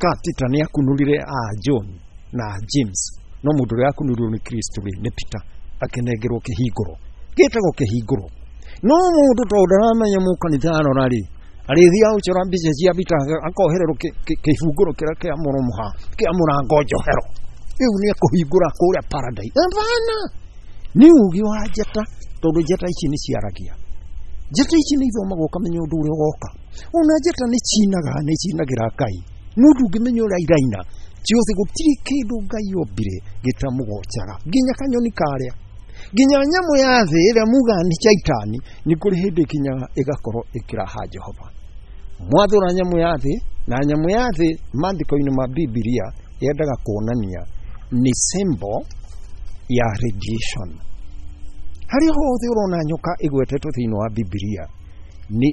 Speaker 2: ka Peter nĩ akunũrire a John na James, no mũndũ ũrĩa akunũrirwo nĩ Kristo rĩ, nĩ Peter, akĩnengerwo kĩhingũro gĩtagwo kĩhingũro. No mũndũ tondũ ndaramenya mũkanitha arora rĩ, arĩthiaga gũcora mbica cia Peter akohererwo kĩhingũro kĩrĩa kĩa mũromo ha kĩa mũrango njohero, rĩu nĩ ekũhingũra kũrĩa paradise. Hapana, nĩ ũgĩ wa njata, tondũ njata ici nĩ ciaragia. Njata ici nĩ ithomagwo ũkamenya ũndũ ũrĩa ũgoka. Ona njata nĩ cinaga, nĩ cinagĩra Ngai, no ndũngĩmenya ũrĩa iraina. Ciothe gũtirĩ kĩndũ Ngai ombire gĩtamũgocaga, nginya kanyoni karĩa, nginya nyamũ ya thĩ ĩrĩa mugaga nĩ caitani, nĩ kũrĩ hĩndĩ ĩkinyaga ĩgakorwo ĩkĩraha Jehova. Mwathũra nyamũ ya thĩ, na nyamũ ya thĩ maandĩko-inĩ ma Bibilia yendaga kuonania nĩ symbol ya radiation. Harĩa hothe ũrona nyoka ĩgwetetwo thĩinĩ wa Bibilia, ni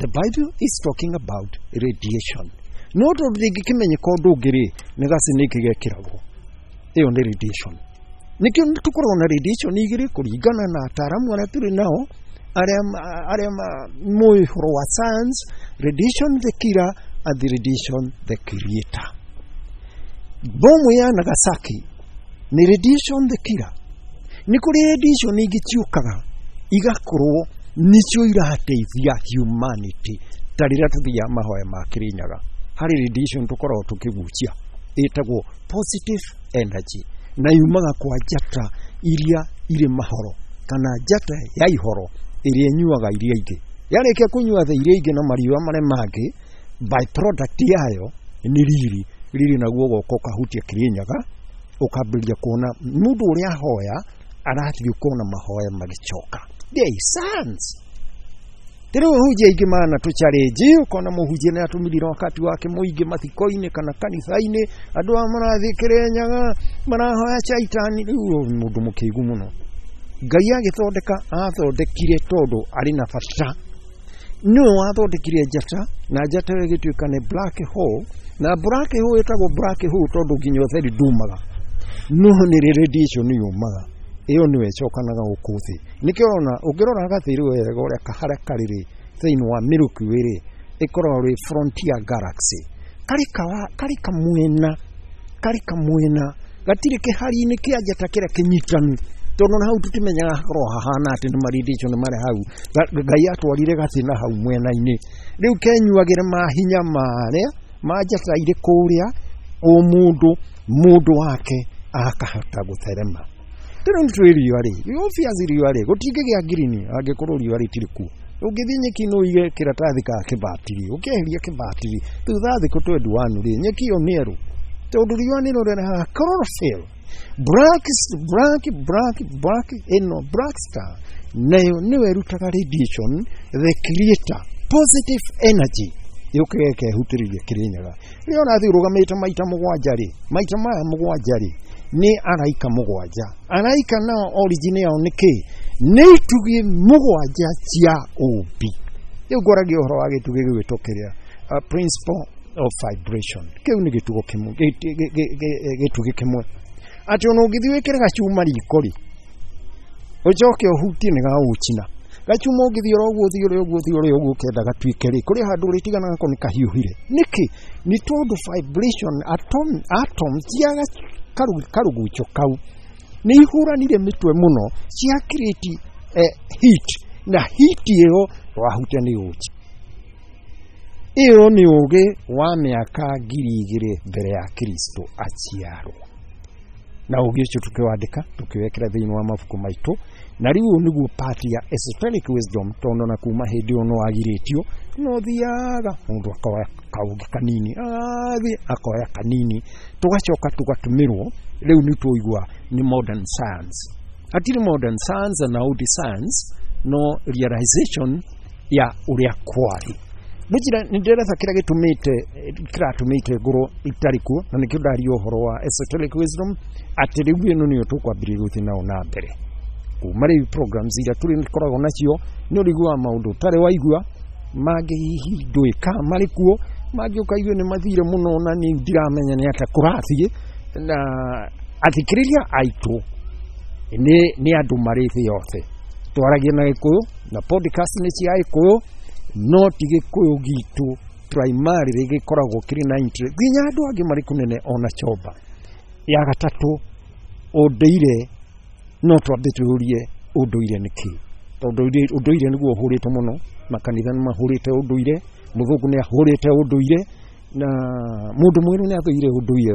Speaker 2: the Bible is talking about radiation. No tondũ ndĩngĩkĩmenyeka ũndũ ũngĩ rĩ, nĩ gacinĩki gekĩragwo. Ĩyo nĩ radiation. Nĩkĩo tũkoragwo na radiation igĩrĩ kũringana na ataaramu arĩa tũrĩ nao, arĩa moĩ ũhoro wa science, radiation the killer and the radiation the creator. Bomu ya Nagasaki nĩ radiation the killer. Nĩ kũrĩ radiation ingĩ ciũkaga igakorwo nĩcio irateithia humanity, ta rĩrĩa tũthiaga mahoya ma Kĩrĩnyaga, harĩ radiation tũkoragwo tũkĩgucia ĩtagwo positive energy, na yumaga kwa njata iria irĩ mahoro, kana njata ya ihoro ĩrĩa ĩnyuaga iria ingĩ. Yarĩkia kũnyua thĩ iria ingĩ na mariũa marĩa mangĩ, by product yayo nĩ riri. Riri naguo ũgoka ũkahutia Kĩrĩnyaga, ũkambĩrĩria kuona mũndũ ũrĩa ahoya arathiĩ ũkona mahoya magĩcoka. There is science. Rĩu ahunjia aingĩ mana tũcharĩnji, ũkona mũhunjia nĩ atũmĩrire wakati wake mũingĩ mathiko-inĩ kana kanitha-inĩ, andũ aya marathiĩ Kĩrĩnyaga marahoya caitani. Rĩu ũyũ nĩ mũndũ mũkĩgu mũno. Ngai agĩthondeka athondekire tondũ arĩ na bata. Nĩwe wathondekire njata, na njata ĩyo ĩgĩtuĩka nĩ black hole, na black hole ĩtagwo black hole tondũ nginya ũtheri ndumaga, no nĩ radiation yumaga. Ĩyo nĩyo ĩcokanaga gũkũ thĩ. Nĩkĩo ũrona ũngĩrora gathĩ rĩu wega ũrĩa harĩa karĩ rĩ, thĩinĩ wa Milky Way rĩ, ĩkoragwo rĩ frontier galaxy. Karĩ kamwena, karĩ kamwena, gatirĩ kĩhari-inĩ kĩa njata kĩrĩa kĩnyitanu, tondũ na hau tũtimenyaga hakorwo hahana atĩ nĩ radiation marĩ hau. Ngai atwarire gathĩ na hau mwena-inĩ, rĩu kenyuagĩre mahinya marĩa ma njata irĩ kũrĩa, o mũndũ mũndũ wake akahota gũtherema. Rĩu nĩ tũĩ riũa rĩ, obviously riũa rĩ, gũtingĩgĩa ngirini angĩkorwo riũa rĩtirĩ kuo. Ũngĩthiĩ nyeki no ũige kĩratathi ka kĩbatiri, ũkĩeheria kĩbatiri thutha wa thikũ 21 rĩ, nyeki ĩyo nĩ erũ, tondũ riũa nĩrĩo rĩrehaga chlorophyll. Black, black, black, black, ĩno black star nayo nĩyo ĩrutaga radiation, the creator, positive energy yũkĩte ĩkehutĩrĩria Kĩrĩnyaga. Rĩrĩa ũrathiĩ ũrũgamĩte maita mũgwanja rĩ, maita maya mũgwanja rĩ, nĩ araika mũgwanja. Araika nao origin yao nĩ kĩ? Nĩ itugĩ mũgwanja cia ũmbi. Rĩu ngwaragia ũhoro wa gĩtugĩ gĩgwĩtwo kĩrĩa, principle of vibration. Kĩu nĩ gĩtugo kĩmwe, gĩtugĩ kĩmwe. Atĩ ona ũngĩthiĩ wĩkĩre gacuma riko rĩ, ũcoke ũhutie nĩ gagũcina. Gacuma ũngĩthiĩ oro ũguo, ũthiĩ ũrĩa ũguo, ũthiĩ ũrĩa ũguo ũkĩenda gatuĩke rĩ, kũrĩ handũ ũrĩtigana nako nĩ kahiũhire. Nĩkĩ? Nĩ tondũ vibration atom cia karugucho kau nĩ ihũranire mĩtwe mũno, cia create heat, na heat ĩyo wahutia nĩ ũgũcina. Ĩyo nĩ ũgĩ wa mĩaka 2000 mbere ya Kristo aciarwo. Na ũgĩ ũcio tũkĩwandĩka, tũkĩwekĩra thĩinĩ wa mabuku maitũ, na rĩu ũyũ nĩguo part ya esoteric wisdom, tondũ na kuma hĩndĩ ĩyo no wagirĩtio, no thiaga mũndũ akoya kaũgĩ kanini, athiĩ akoya kanini, tũgacoka tũgatũmĩrwo. Rĩu nĩ tũigua nĩ modern science. Hatirĩ modern science na old science, no realization ya ũrĩa kwarĩ. Njĩra nĩ ndĩretha kĩrĩa gĩtũmĩte, kĩratũmĩte ngorwo itarĩ kuo, na nĩkĩo ndaria ũhoro wa esoteric wisdom, atĩ rĩu ĩno nĩyo tũkwambĩrĩria gũthiĩ nayo na mbere. Kuma rĩu programs iria tũrĩkoragwo nacio nĩ ũrĩiguaga maũndũ ũtarĩ waigua, mangĩ hihi ndũĩ kana marĩ kuo, mangĩ ũkaigua nĩ mathire mũno na niĩ ndiramenya nĩ atĩa kũrathiĩ. Na athikĩrĩria aitũ nĩ andũ marĩ thĩ yothe. Twaragia na Gĩkũyũ na podcast nĩ cia Gĩkũyũ, no ti Gĩkũyũ gitũ primarily gĩkoragwo kĩrĩ na interest nginya andũ angĩ marĩ kũnene ona Chomba. Ya gatatũ, ũndũire, no twambe twĩyũrie ũndũire nĩ kĩĩ, tondũ ũndũire nĩguo ũhũrĩte mũno, makanitha nĩ mahũrĩte ũndũire, mũthũngũ nĩ ahũrĩte ũndũire, na mũndũ mwerũ nĩ athũire ũndũire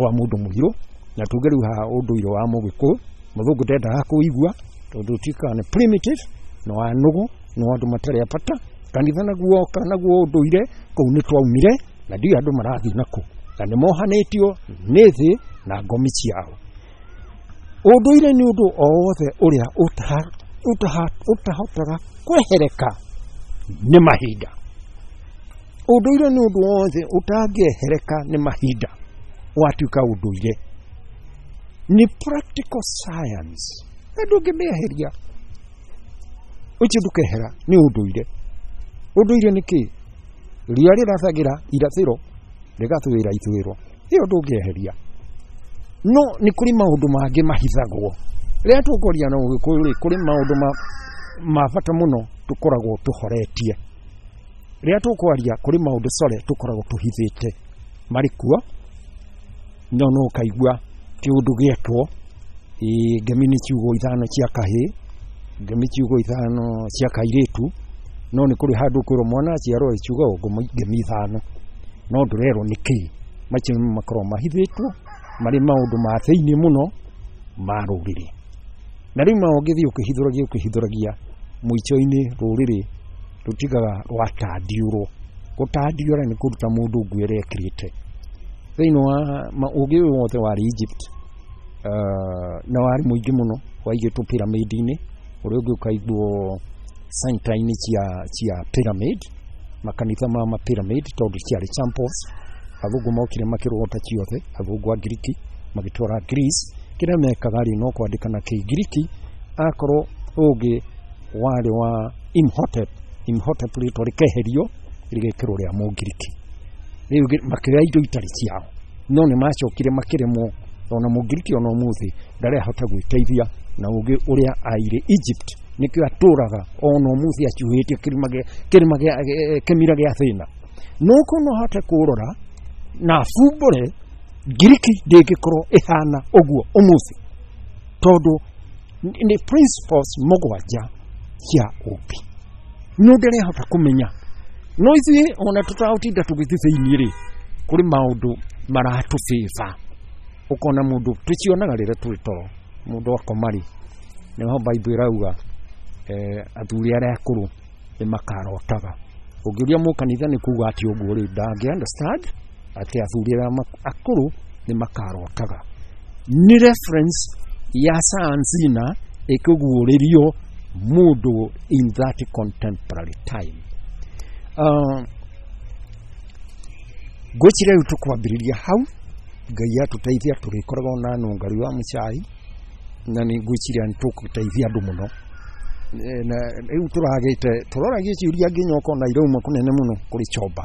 Speaker 2: wa mũndũ mũirũ, na tuge rĩu haha ũndũire wa mũgĩkũyũ, mũthũngũ ndendaga kũigua tondũ ũtuĩkaga nĩ primitive, nĩ wa nũgũ, nĩ wa andũ matarĩ a bata. Kanitha naguo woka naguo ũndũire, kũu nĩ twaumire na ndiũĩ andũ marathiĩ nakũ, na nĩ mohanĩtio nĩ thĩ na ngomi ciao. Ũndũire nĩ ũndũ o wothe ũrĩa ũtahotaga kwehereka nĩ mahinda. Ũndũire nĩ ũndũ wothe ũtangĩehereka nĩ mahinda, watuĩka ũndũire. Nĩ practical science, na ndũngĩmĩeheria, ũcio ndũkehera, nĩ ũndũire. Ũndũire nĩ kĩĩ? Riũa rĩrathagĩra irathĩro rĩgathũĩra ithũĩro, ĩyo ndũngĩeheria. No nĩ kũrĩ maũndũ mangĩ mahithagwo. Rĩrĩa tũkwaria na Ũgĩkũyũ rĩ, kũrĩ maũndũ ma bata mũno tũkoragwo tũhoretie. Rĩrĩa tũkwaria kũrĩ maũndũ core tũkoragwo tũhithĩte, marĩ kuo, no no ũkaigua kĩũndũ gĩekwo, ngemi nĩ ciugo 5 cia kahĩĩ, ngemi ciugo 5 cia kairĩtu, no nĩ kũrĩ handũ ũkwĩrwo mwana aciarwo ciugo ngemi 5, no ndũrerwo nĩ kĩĩ. Macio nĩmo makoragwo mahithĩtwo, marĩ maũndũ ma thĩinĩ mũno ma rũrĩrĩ. Na rĩu ma ũngĩthiĩ ũkĩhithũragia ũkĩhithũragia, mũico-inĩ rũrĩrĩ rũtigaga rwatandiũrwo. Gũtandiũra nĩ kũruta mũndũ nguo ĩrĩa ekĩrĩte. Thĩinĩ wa ũgĩ ũyũ wothe warĩ Egypt, na warĩ mũingĩ mũno, waigĩtwo pyramid-inĩ, ũrĩa ũngĩ ũkaigwo center-inĩ cia pyramid, makanitha ma pyramid, tondũ ciarĩ temples. Athũngũ mokire makĩrogota ciothe, athũngũ a Ngiriki magĩtwara Greece. Kĩrĩa mekaga rĩ, no kwandĩka na Kĩngiriki, akorwo ũngĩ warĩ wa Imhotep, Imhotep rĩtwa rĩkeherio rĩgekĩrwo rĩa Mũngiriki. Rĩu makĩoya indo itarĩ ciao, no nĩ macokire makĩremwo, ona Mũngiriki ona ũmũthĩ ndarahota gwĩteithia na ũngĩ ũrĩa aire Egypt, nĩkĩo atũraga ona ũmũthĩ acuhĩtie kĩmira gĩa thĩna. No korwo no ahote kũrora na abumbũre, Ngiriki ndĩngĩkorwo ĩhana ũguo ũmũthĩ, tondũ nĩ principles 7 cia ũmbi. No ndĩrehota kũmenya. No ithuĩ ona tũtagũtinda tũgĩthiĩ thĩinĩ rĩ, kũrĩ maũndũ maratũbĩba. Ũkona mũndũ tũcionaga rĩrĩa tũrĩ toro, mũndũ akoma rĩ, nĩho Bible ĩrauga, athuri arĩa akũrũ nĩ makarotaga. Ũngĩũria mũkanitha nĩ kuga atĩ ũguo rĩ, ndangĩ understand atĩ athuri arĩa akũrũ nĩ makarotaga. Nĩ reference ya science na ĩkĩguũrĩrio mũndũ in that contemporary time. Ngwĩciria rĩu tũkwambĩrĩria hau, Ngai atũteithia tũrĩkoragwo na nũngari wa mũcai, na nĩ ngwĩciria nĩ tũgũteithia andũ mũno. Na rĩu tũragĩte tũroragia ciũria nginya ũkona irauma kũnene mũno kũrĩ Chomba.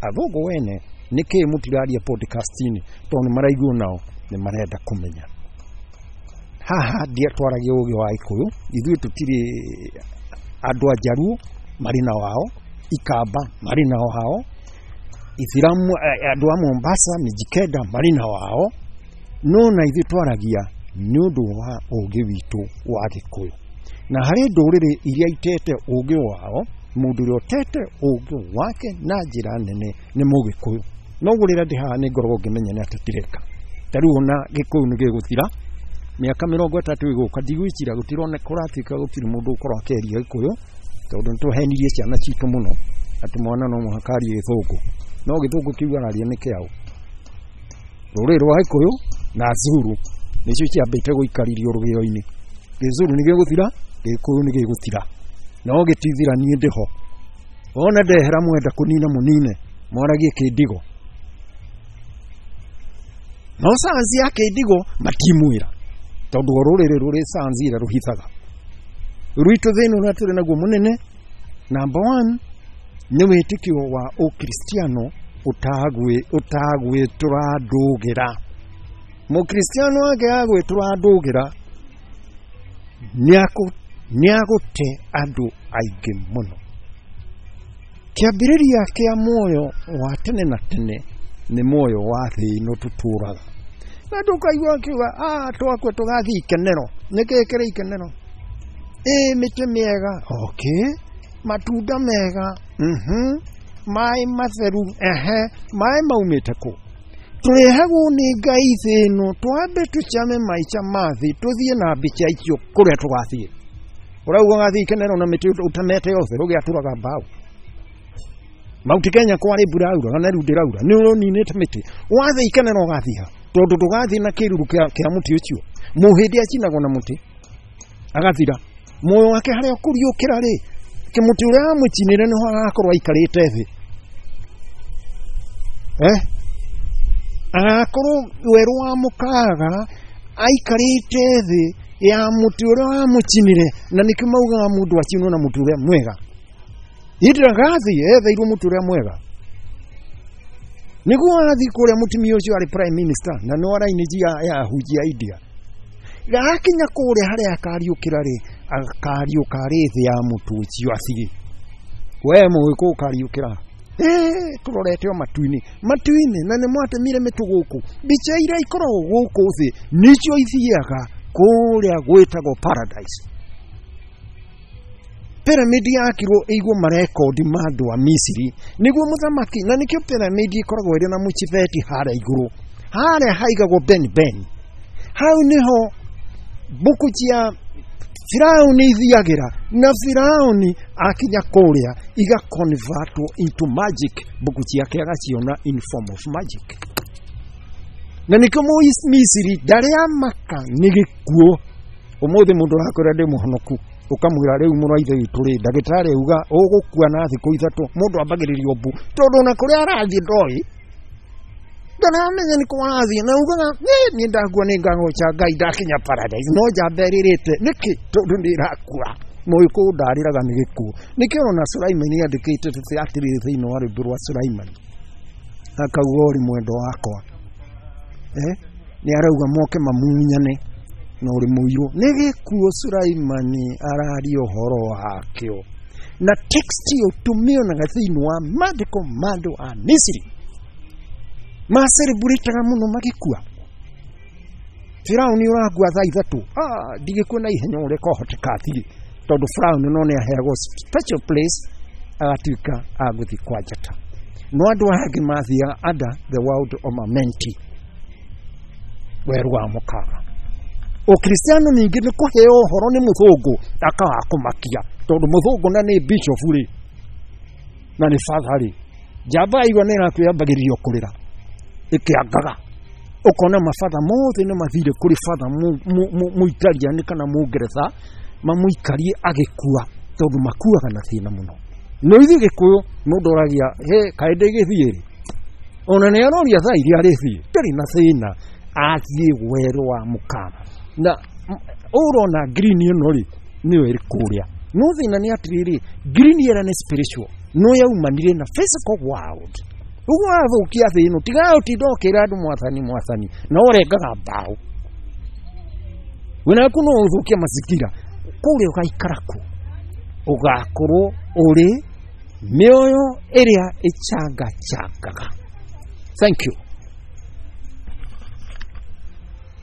Speaker 2: Athũngũ wene nĩkĩĩ mũtiraria podcast-inĩ, tondũ nĩ maraigua nao nĩ marenda kũmenya. Haha ndiatwaragia ũgĩ wa Gĩkũyũ, ithuĩ tũtirĩ andũ a Njaruo marĩ na wao, Ikamba marĩ na wao, Ithiramu, andũ a Mombasa, Mijikenda marĩ na wao, no na ithuĩ twaragia nĩ ũndũ wa ũgĩ witũ wa Gĩkũyũ. Na harĩ ndũrĩrĩ iria itete ũgĩ wao, mũndũ ũrĩa ũtete ũgĩ wake na njĩra nene nĩ Mũgĩkũyũ. No ũguo rĩrĩa ndĩ haha nĩ ngoragwo ngĩmenya nĩ atĩa ndĩreka. Ta rĩu ona Gĩkũyũ nĩ gĩgũthira, mĩaka 30 ĩgũka, ndigwĩciria gũtirona kũratuĩka gũtirĩ mũndũ ũkorwo akĩaria Gĩkũyũ, tondũ nĩ tũhenirie ciana citũ mũno atĩ mwana no mũhaka arie Gĩthũngũ. No Gĩthũngũ kĩu araria nĩ kĩaũ? Rũrĩrĩ rwa Gĩkũyũ na Zulu nĩcio ciambĩte gũikaririo rũgĩo-inĩ. Gĩzulu nĩ gĩgũthira, Gĩkũyũ nĩ gĩgũthira. No gĩtithira niĩ ndĩho. Ona ndehera mwenda kũnina mũnine, mwaragie kĩndigo. No sayansi ya kĩndigo matimwĩra, tondũ o rũrĩrĩ rũrĩ sayansi ĩrĩa rũhithaga. Rwitũ thĩna ũrĩa tũrĩ naguo mũnene, number one, nĩ wĩtĩkio wa ũkristiano ũtagwĩtũra ndũgĩra. Mũkristiano angĩaga gwĩtũra ndũgĩra nĩagũte andũ aingĩ mũno. Kĩambĩrĩria kĩa muoyo wa tene na tene nĩ muoyo wa thĩ ĩno tũtũraga. Na ndũkaigua akiuga twakua tũgathiĩ ikenero. Nĩkĩĩ kĩrĩ ikenero? Ĩ mĩtĩ mĩega, okay, matunda mega, maĩ matheru, ehe, maĩ maumĩte kũ? Tũrehagwo nĩ Ngai thĩ ĩno, twambe tũcame maica ma thĩ, tũthiĩ na mbica icio kũrĩa tũgathiĩ. Ũrauga ũgathiĩ ikenero na mĩtĩ ũtemete yothe, ũgĩatũraga mbaũ. Mount Kenya kwarĩ mbura yauraga na rĩu ndĩraura, nĩ ũninĩte mĩtĩ. Wathiĩ ikenero ũgathiĩ ha? Tondũ ndũgathiĩ na kĩruru kĩa mũtĩ ũcio. Mũhĩndĩ acinagwo na mũtĩ agathira. Muoyo wake harĩa ũkũriũkĩra rĩ, kĩmũtĩ ũrĩa wamũcinĩre nĩho agakorwo aikarĩte thĩ. Agakorwo werũ wa mũkaga aikarĩte thĩ ya mũtĩ ũrĩa wamũcinĩre, na nĩkĩo maugaga mũndũ acinwo na mũtĩ ũrĩa mwega. Ndagathi etheirwo mũtĩ ũrĩa mwega. Nĩguo athiĩ kũrĩa mũtumia ũcio arĩ prime minister na no arainĩ ya ahunjia India. Gakinya kũrĩa harĩa akariũkĩra rĩ, akariũka arĩ thĩ ya mũtĩ ũcio athiĩ. We mũgĩkũyũ ũkariũkĩra. Tũrorete o matu-inĩ. Matu-inĩ, na nĩ mwatemire mĩtũ gũkũ. Mbica iria ikoragwo gũkũ thĩ nĩcio ithiaga kũrĩa gwĩtagwo paradise. Pyramid yakirwo ĩigwo marekondi ma andũ a Misiri nĩguo mũthamaki, na nĩkĩo pyramid ĩkoragwo ĩrĩ na mũchibeti harĩa igũrũ, harĩa haigagwo Ben Ben. Hau nĩho mbuku cia Firauni ithiagĩra, na Firauni akinya kũrĩa igaconvertwo into magic, mbuku ciake agaciona in form of magic. Na nĩkĩo Misiri ndarĩ amaka nĩ gĩkuũ. Ũmũthĩ mũndũ arakwĩra ndĩ mũhonoku, ũkamwĩra rĩu mũrũ wa ithe witũ rĩ, ndagĩtarĩ auga ũgũkua na thikũ ithatũ, mũndũ ambagĩrĩria mbu, tondũ ona kũrĩa arathiĩ ndoĩ, ndaramenya nĩ kũ arathiĩ, na ugaga niĩ ndakua nĩ ngagoca Ngai ndakinya paradise, no njamba ĩrĩrĩte nĩkĩ? Tondũ nĩ ĩrakua. Mũgĩkũyũ ndarĩraga nĩ gĩkuũ. Nĩkĩo ona Sulaimani andĩkĩte atĩrĩrĩ thĩinĩ wa rwĩmbo rwa Sulaimani, akauga ũrĩ mwendo wakwa, nĩ arauga moke mamunyane na ũrĩ mũirũ. Nĩ gĩkuũ Sulaimani araria ũhoro wakĩo, na text ĩyo tũmĩonaga thĩinĩ wa maandĩko ma andũ a Misiri. Macelebrataga mũno magĩkua. Firauni ũrakua thaa ithatũ, ndigĩkua na ihenya ũrĩa kwahoteka athiĩ, tondũ Firauni no nĩ aheagwo special place agatuĩka agũthiĩ kwa njata. No andũ angĩ mathiaga under the world of Amenti, werũ wa mũkaga. Ũkristiano ningĩ nĩ kũheo ũhoro nĩ mũthũngũ akaga kũmakia, tondũ mũthũngũ na nĩ bishop rĩ, na nĩ father rĩ, njamba yaigua nĩ ĩrakwĩambagĩrĩria kũrĩra ĩkĩangaga. Ũkona mabatha mothe nĩ mathire kũrĩ batha mũitaliani kana mũngeretha mamũikarie agĩkua, tondũ makuaga na thĩna mũno. No ithuĩ Gĩkũyũ mũndũ oragia he kaĩ ndĩgĩthiĩ rĩ, ona nĩ aroria thaa iria arĩthiĩ, ndarĩ na thĩna, athiĩ werũ wa mũkaga. Na ũrona green ĩno rĩ, nĩyo ĩrĩ kũrĩa. No thĩna nĩ atĩrĩrĩ, green ĩrĩa nĩ spiritual, no yaumanire na physical world. Ũguo wathũkia thĩ ĩno, tiga ũtinda ũkĩra andũ mwathani mwathani, na ũrengaga mbaũ. Wĩna no ũthũkie mazingira, kũrĩa ũgaikara kũ? Ũgakorwo ũrĩ mĩoyo ĩrĩa ĩcangachangaga. Thank you.